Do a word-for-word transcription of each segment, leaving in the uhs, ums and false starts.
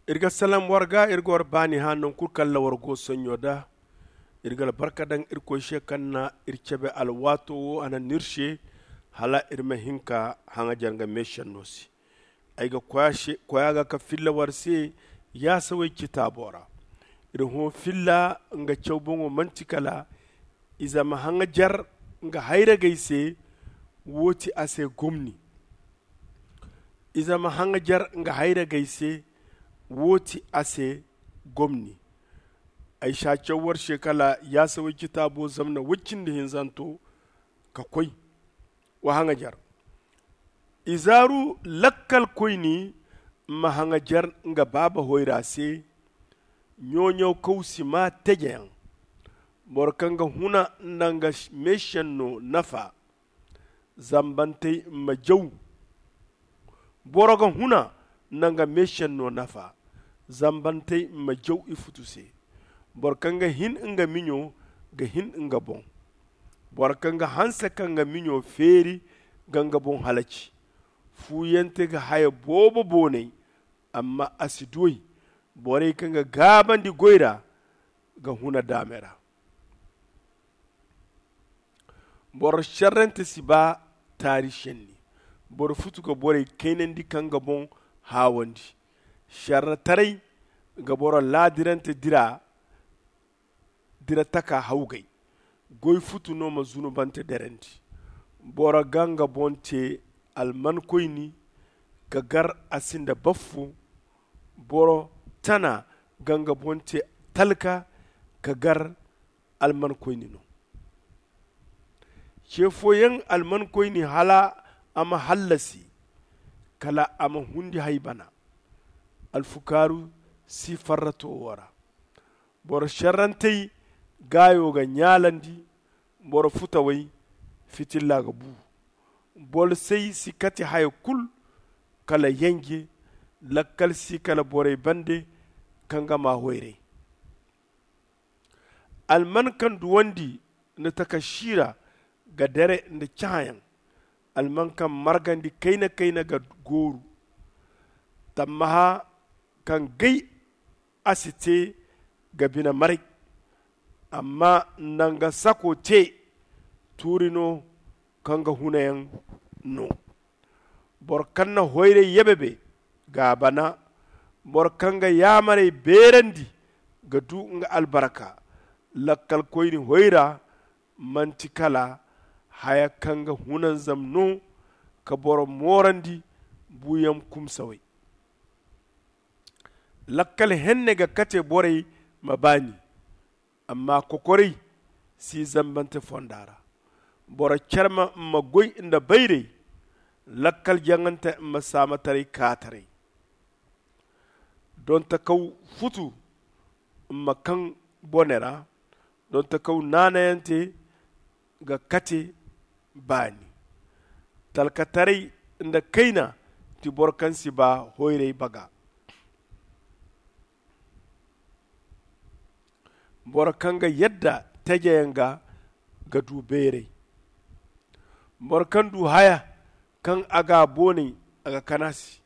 Iri ga salam war ga, iri ga war baani hã naŋ kulu kaŋ ra war go sonɲo da. Iri ga albarka daŋ irkoy se kaŋ na iri cabe alwaato wo a na ni iri se, hala iri ma hin ka haŋajer nga meesenno se. Ay ga koya ga ka filla war se yaasawey citaabo ra. Iri hõ filla nga caw boŋo manti kala ize ma haŋajer nga hayragey se. Wo ti a se gomni. Ize ma haŋajer nga hayragey se. Wo ti a se gomni. Ay si a caw war se kala yaasawey citaabo zamna woy cindi hinzanto ka koy. Wa haŋajer. Izaaru lakkalkoyni ma haŋajer nga baaba hoyra se. Ɲooɲawkaw si maa tejeyaŋ. Boro kaŋ ga huna nda nga meesenno nafa. Zambantey ma jaw. Boro ga huna nda nga meesenno nafa. Zambantey ma jaw ifutu se. Boro kaŋ ga hin nga miɲo ga hin nga boŋ. Boro kaŋ ga hanse ka nga miɲo feeri ga nga boŋ halaci. Fuuyante ga haya boobo boonay, amma a si duw'ey. Borey kaŋ ga gaabandi goy ra ga huna daame ra. Boro šerrante si baa taari šenni. Boro futu ga borey kaynandi ka nga boŋ haawandi. Šerretaray ga boro laadirante dira dira taka hawgay. Goy futu no ma zunubante derandi. Boro ga nga boŋ te almankoyni ka gar a sinda baffu. Boro tana ga nga boŋ te talka ka gar almankoyni no. Ce fooyaŋ almankoyni hala a ma hallasi kala a ma hundi hay bana. Alfukaaru si farrato wo ra. Boro šerrantey gaayo ga ɲaalandi. Boro futawey fitilla ga bu. Bolsey si kate haya kul kala yenje. Lakkal si kala borey bande kaŋ ga maa hoyray. Alman kaŋ duwandi nda takasiira ga dere nda cahãyaŋ. Alman kaŋ margandi kayna-kayna ga gooru. Tammaha kaŋ gay a si te ga bine maray. Amma nda nga sako te tuuri no kaŋ ga hunayaŋ no. Boro kaŋ na hoyray yebebe ga a bana. Boro kaŋ ga yaamarey beerandi ga du nga albarka. Lakkalkoyni hoyra manti kala haya kaŋ ga hunanzam no ka boro moorandi buuyaŋ kumsawey. Lakkal henne ga kate borey ma baani. Amma kokoray si zambante fonda ra. Boro carma ma goy nda bayray. Lakkal jaŋante ma saamataray kaataray. Donta kaw futu ma kaŋ bone ra. Donta kaw naanayante ga kate baani. Talkataray nda kayna ti boro kaŋ si ba hoyray baga. Boro kaŋ ga yadda tejeyaŋ ga ga du beeray. Boro kaŋ du haya kaŋ a ga a boonay a ga kana se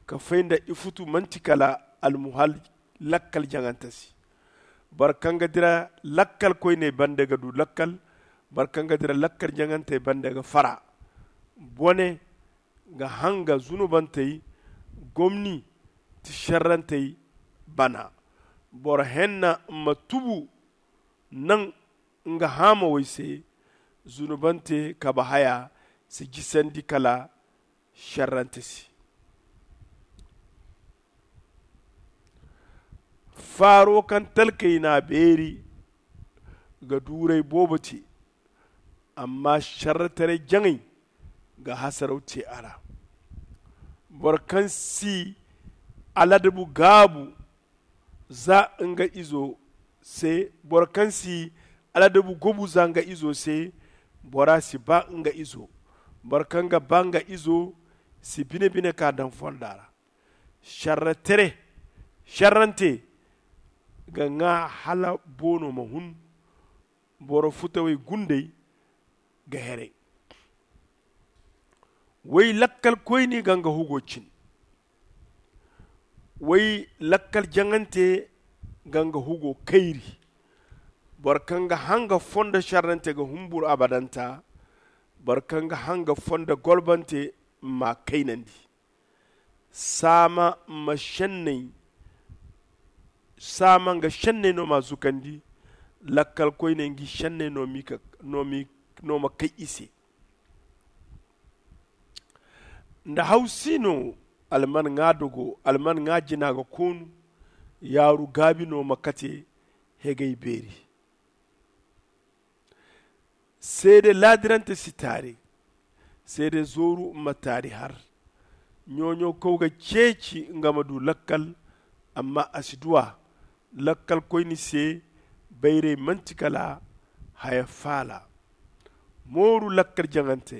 ka fay nda ifutu manti kala almuhal lakkal jaŋante se. Boro kaŋ ga dira lakkal koyney bande ga du lakkal. Boro kaŋ ga dira lakkal jaŋantey bande ga fara. Bone ga hanga zunubantey gomni ti šerrantey bana. Boro henna ma tubu naŋ nga haamawey se. Zunubante kabe haya si jisandi kala šerrante se. Faaro kaŋ talkey n'a beeri ga duuray boobo te. Amma šerretaray jaŋay ga hasaraw te a ra. Boro kaŋ si aladabu gaabu za nga izo se. Boro kaŋ si aladabu gobu za nga izo se. Bora si ba nga izo. Boro kaŋ ga ba nga izo si bine-bine ka daŋ fonda ra. Šerre tere šerrante ga ŋaa hala boono ma hun. Boro futawey gundey ga heray. Way lakkalkoyni ga nga hugo cin. Way lakkal jaŋante ga nga hugo kayri. Boro kaŋ ga hanga fondo šerrante ga humbur abadanta. Boro kaŋ ga hanga fondo golbante ma kaynandi. Saama ma šenney saama nga šenney no ma zukandi. Lakkal koyney ngi šenney no ma kay i se. Nda hawsi no alman ŋwa dogo alman ŋwa jina ga koonu. Yaaru gaabi no ma kate hegay beeri. Seede laadirante si taari. Seede zooru ma taari har. Ɲooɲo kaw ga ceeci nga ma du lakkal. Amma a si du a. Lakkal koyni se bayray manti kala haya faala. Mooru lakkal jaŋante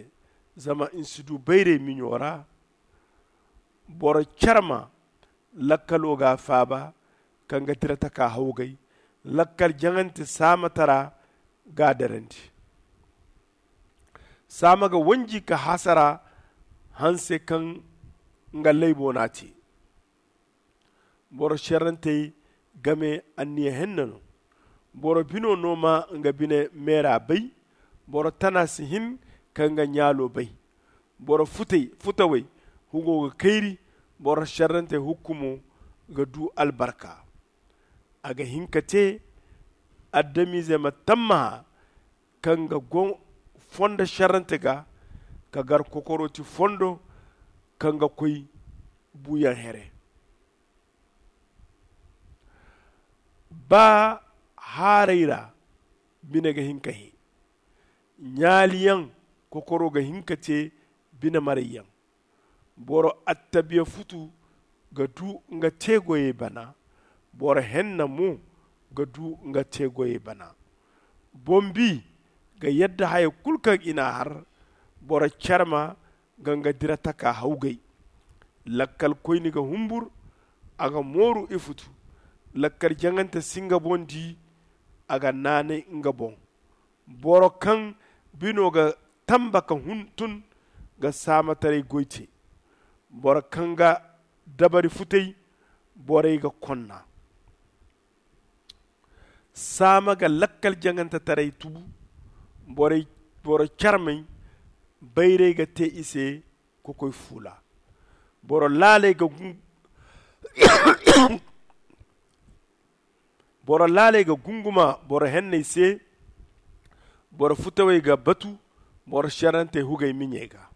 zama ni si du bayray miɲo ra. Boro carma lakkalo ga a faaba. Kaŋ ga dira taka hawgay lakkal jaŋante saamatara ga a darandi. Saama ga wanji ka hasara hanse kaŋ nga laybo n'a te. Boro šerrantey game anniya henna no. Boro bino no ma nga bine meera bay. Boro tana si hin ka nga ɲaalo bay. Boro futawey hugo ga kayri. Boro šerrantey hukkumo ga du albarka. A ga hin ka te adamize ma tammaha kaŋ ga go fondo šerrante ga ka gar kokorooti fondo kaŋ ga koy buuyaŋ here. Ba haaray ra bine ga hin ka hẽ. Ɲaaliyaŋ kokoro ga hin ka te bine marayyaŋ. Boro attabiya futu ga du nga teegoyey bana. Boro henna mo ga du nga teegoyey bana. Boŋ-bi ga yadda haya kulu kaŋ i n'a har. Boro carma ga nga dira taka hawgay. Lakkal koyne ga humbur. A ga mooru ifutu. Lakkal jaŋante si nga boŋ di. A ga naanay nga boŋ. Boro kaŋ bino ga tamba ka hun tun ga saamataray goy te. Boro kaŋ ga dabari futay borey ga konna. Saama ga lakkal jaŋantetaray tubu. Boro carmey bayray ga te i se. Kokoy fuula. Boro laaley ga gun boro laaley ga gunguma boro henney se. Boro futawey ga batu boro šerrantey hugey miɲey ga.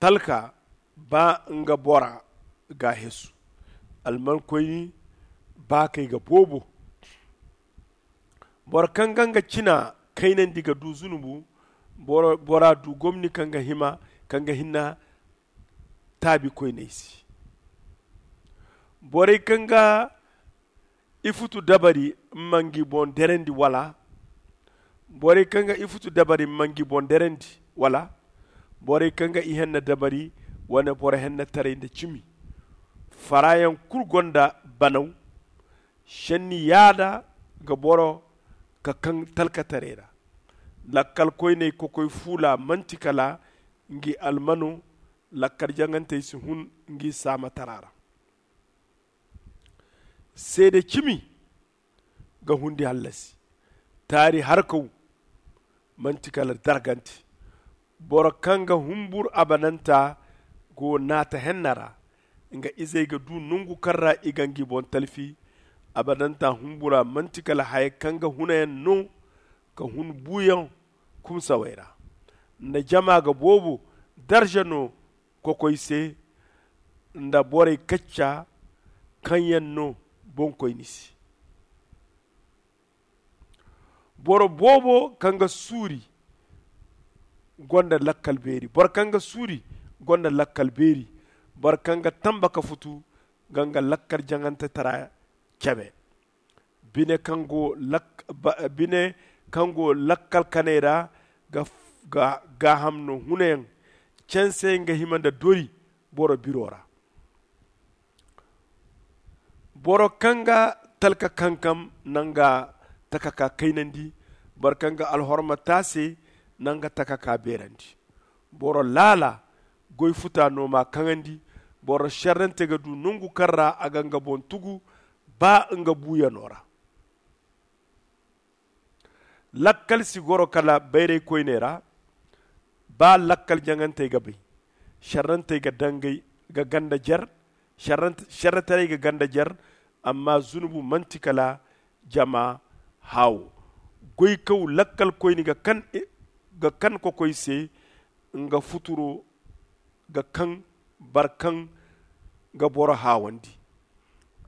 Talka ba nga bora ga hesu. Almankoyni baakey ga boobo. Boro kaŋ ga nga cina kaynandi ga du zunubu. Bora du gomni kaŋ ga hima kaŋ ga hinna taabikoyney se. Borey kaŋ ga ifutu dabari ma ngi boŋ derandi wala? Borey kaŋ ga ifutu dabari ma ngi boŋ derandi wala? Borey kaŋ ga ihenna dabari wane boro hennetaray nda cimi. Farayaŋ kulu gonda banaw. Šenni yaada ga boro ka kaŋ talkataray ra. Lakkalkoyney kokoy fuula manti kala ngi almano. Lakkal jaŋantey si hun ngi saamatara ra. Seede cimi ga hundi hallasi. Taari harkaw manti kala dargante. Boro kaŋ ga humbur abadanta go naata henna ra. Nga izey ga du nongu kaŋ ra i ga ngi boŋ talfi. Abadanta humbura manti kala haya kaŋ ga hunayaŋ no ka hun buuyaŋ kumsawey ra. Nda jama ga boobo darza no kokoy se nda borey kacca kaŋ yaŋ no boŋkoyni se. Boro boobo kaŋ ga suuri gonda lakkal beeri boro kaŋ ga suuri gonda lakkal beeri. Boro kaŋ ga tamba ka futu ga nga lakkal jaŋantetara cabe. Bine kaŋ go lakkal kaney ra ga gaaham no hunayaŋ. Canse nga hima nda dori boro biro ra. Boro kaŋ ga talka kankam na nga takaka kaynandi. Boro kaŋ ga alhorma taase na nga takaka beerandi. Boro laala goy futa no m'a kaŋandi. Boro šerrante ga du nongu kaŋ ra a ga nga boŋ tugu ba nga buuyano ra. Lakkal si goro kala bayray koyney ra. Ba lakkal jaŋantey ga bay, šerrantey ga dangay ga ganda jer. Šerrataray ga ganda jer. Amma zunubu manti kala jama haawo. Goykaw lakkalkoyne ga kan kokoy se nga futuro ga kaŋ boro kaŋ ga boro haawandi.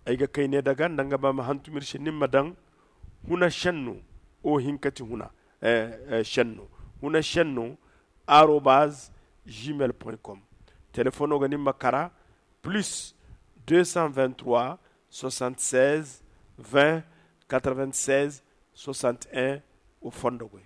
Ay ga kay ne daga nda nga ba ma hantum iri se ni ma daŋ huna šenno. O hinka ti huna šenno. Huna šenno arobaz gmail point com. Telefono ga ni ma kara plus deux cent vingt-trois soixante-seize vingt quatre-vingt-seize soixante-un. Wo fondo goy.